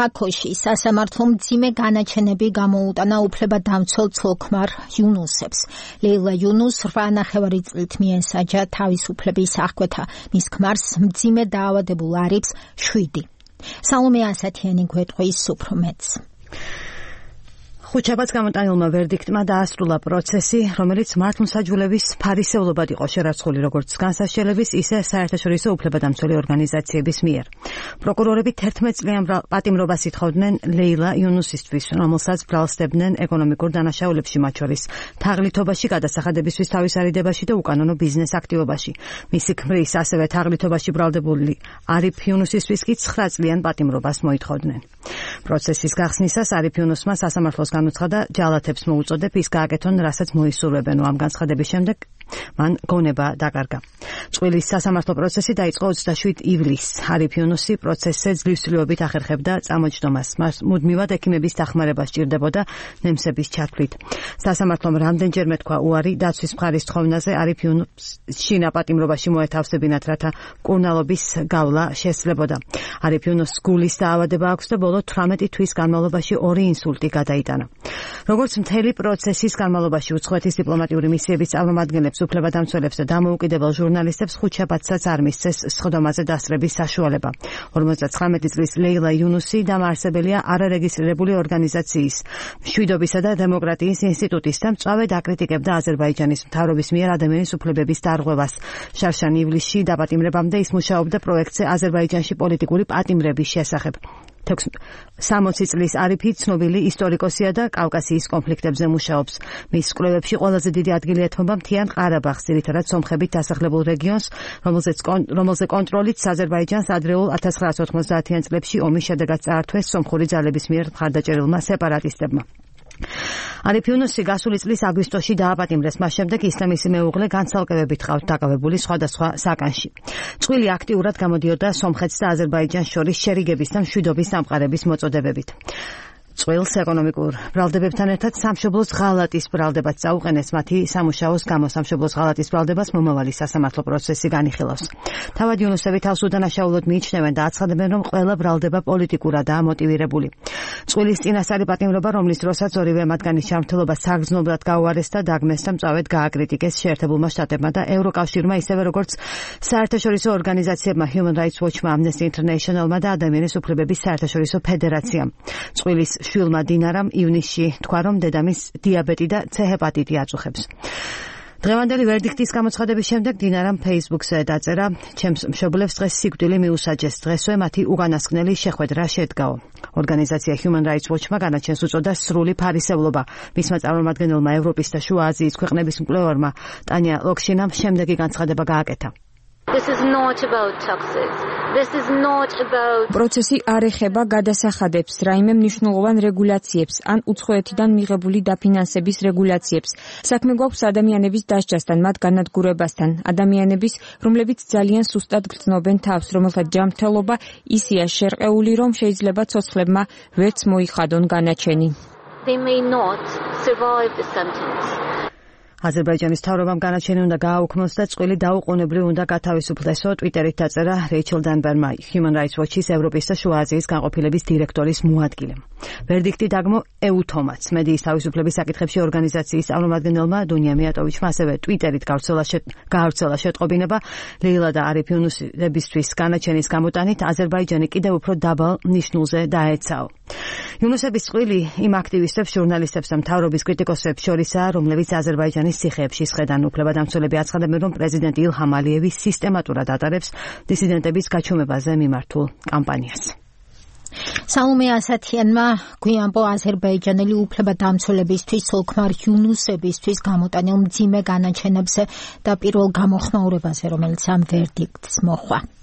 ბაქოში სასამართლომ მძიმე განაჩენები გამოუტანა უფლებადამცველ ცოლ-ქმარ იუნუსებს. ლეილა იუნუს 8,5 წლით მიენსაჯა თავისუფლების აღკვეთა. მის ქმარს მძიმე დაავადებულ არიბს 7. სალომე ასათიანი გვეტყვის უფრო მეტს. ხუთშაბათს გამოტანილმა ვერდიქტმა დაასრულა პროცესი, რომელიც მართლმსაჯულების ფარისევლობად იყო შერაცხული როგორც განსასჯელების, ისე საერთაშორისო უფლებადამცველი ორგანიზაციების მიერ. პროკურორები 11 წლიან პატიმრობას ითხოვდნენ ლეილა იუნუსისთვის, რომელსაც ბრალსდებდნენ ეკონომიკურ დანაშაულებში, მათ შორის თაღლითობაში, გადასახადებისთვის თავის არიდებაში და უკანონო ბიზნეს აქტივობაში. მისი ქმრის, ასევე თაღლითობაში ბრალდებული არიფ იუნუსისთვის კი 9 წლიან პატიმრობას მოითხოვდნენ. პროცესის გახსნისას არიფ იუნუსმა სასამართლოს განუცხადა ჯალათებს მოუწოდებ ის გააკეთონ, რასაც მოისურვებენ. ამ განცხადების შემდეგ მან გონება დაკარგა. წვილის სასამართლო პროცესი დაიწყო 27 ივლისს. არიფ იუნუსი პროცესზე ძლივსვლიობით ახერხებდა წამოჯდომას. მას მუდმივად ექიმების დახმარება სჭირდებოდა ნემსების ჩათვლით. სასამართლომ რამდენჯერმე თქვა უარი დაცვის მხარის თხოვნაზე არიფ იუნუსს შინაპატიმრობაში მოეთავსებინათ, რათა მკურნალობის გავლა შესძლებოდა. არიფ იუნუსს გულის დაავადება აქვს და ბოლო 18 თვის განმავლობაში 2 ინსულტი გადაიტანა. როგორც მთელი პროცესის განმავლობაში უცხოეთის დიპლომატიური მისიების წარმომადგენლებს, უფლებადამცველებს და დამოუკიდებელ ჟურნალისტებს ხუთშაბათსაც არ მისცეს სხდომაზე დასწრების საშუალება. 59 წლის ლეილა იუნუსი დამაარსებელია არარეგისტრირებული ორგანიზაციის მშვიდობისა და დემოკრატიის ინსტიტუტის და მწვავედ აკრიტიკებდა აზერბაიჯანის მთავრობის მიერ ადამიანის უფლებების დარღვევას. შარშან ივლისში დაპატიმრებამდე ის მუშაობდა პროექტზე აზერბაიჯანში პოლიტიკური პატიმრების შესახებ. 60 წლის არიფი ცნობილი ისტორიკოსია და კავკასიის კონფლიქტებზე მუშაობს. მის კვლევებში ყველაზე დიდი ადგილი ეთმობა მთიან ყარაბაღს, ძირითადად სომხებით დასახლებულ რეგიონს, რომელზე კონტროლით აზერბაიჯანს ადრეულ 1990-იან წლებში ომის შედეგად წაართვეს სომხური ძალების მიერ მხარდაჭერილმა სეპარატისტებმა. არიფ იუნუსი გასული წლის აგვისტოში დააპატიმრეს, მას შემდეგ ის და მისი მეუღლე განცალკევებით ყავთ დაკავებული სხვადასხვა საკანში. წვილი აქტიურად გამოდიოდა სომხეთს და აზერბაიჯანს შორის შერიგების და მშვიდობის დამყარების მოწოდებებით. წვილს ეკონომიკურ ბრალდებებთან ერთად სამშობლოს ღალატის ბრალდებაც წაუყენეს მათი სამუშაოს გამო. სამშობლოს ღალატის ბრალდებას მომავალი სასამართლო პროცესი განიხილავს. თავად იუნუსები თავს უდანაშაულოდ მიიჩნევენ და აცხადებენ, რომ ყველა ბრალდება პოლიტიკურადაა მოტივირებული. წვილის წინასწარი პატიმრობა, რომლის დროსაც ორივე მათგანის ჯანმრთელობა საგრძნობლად გაუარეს და დაგმეს და მწვავედ გააკრიტიკეს შეერთებულმა შტატებმა და ევროკავშირმა, ისევე როგორც საერთაშორისო ორგანიზაციებმა Human Rights Watch-მა, Amnesty International-მა და ადამიანის უფლებების საერთაშორისო ფედერაციამ. წვილის შვილმა დინარამ ივნისში თქვა, რომ დედამისს დიაბეტი და C ჰეპატიტი აწუხებს. დღევანდელი ვერდიქტის გამოცხადების შემდეგ დინარამ Facebook-ზე დაწერა: ჩემს მშობლებს დღეს სიკვდილი მიუსაჯეს, დღესვე მათი უკანასკნელი შეხვედრა შედგაო. ორგანიზაცია Human Rights Watch-მა განაჩენს უწოდა სრული ფარისევლობა. მისმა წარმომადგენელმა ევროპის და შუა აზიის ქვეყნების მკვლევარმა ტანია ლოქშინამ შემდეგი განცხადება გააკეთა. პროცესი არ ეხება გადასახადებს, რაიმე მნიშვნელოვან რეგულაციებს ან უცხოეთიდან მიღებული დაფინანსების რეგულაციებს. საქმე გვაქვს ადამიანების დასჯასთან, მათ განადგურებასთან, ადამიანების, რომლებიც ძალიან სუსტად გრძნობენ თავს, რომელთა ჯანმრთელობა ისეა შერყეული, რომ შეიძლება ცოცხლებმა ვერც მოიხადონ განაჩენი. აზერბაიჯანის მთავრობამ განაჩენი უნდა გააუქმოს და წყვილი დაუყოვნებლივ უნდა გათავისუფლესო. ტვიტერით დაწერა რეიჩელ დანბერმა, Human Rights Watch-ის ევროპის და შუა აზიის განყოფილების დირექტორის მოადგილემ. ვერდიქტი დაგმო ეუთომაც, მედიის თავისუფლების საკითხებში ორგანიზაციის წარმომადგენელმა დუნია მიატოვიჩმა, ასევე ტვიტერით გაავრცელა შეტყობინება ლეილა და არიფ იუნუსებისთვის განაჩენის გამოტანით აზერბაიჯანი კიდევ უფრო დაბალ ნიშნულზე დაეცაო. იუნუსების წყვილი იმ აქტივისტებს, ჟურნალისტებს და მთავრობის კრიტიკოსებს შორისაა, რომლებიც აზერბაიჯანის ციხეებში სხედან. უფლებადამცველები აცხადებენ, რომ პრეზიდენტი ილჰამ ალიევი სისტემატურად ატარებს დისიდენტების გაჩუმებაზე მიმართულ კამპანიას. სალომე ასათიანმა გვიანბო აზერბაიჯანელი უფლებადამცველებისთვის ცოლ-ქმარ იუნუსებისთვის გამოტანილ მძიმე განაჩენებზე და პირველ გამოხმაურებაზე, რომელიც ამ ვერდიქტს მოჰყვა.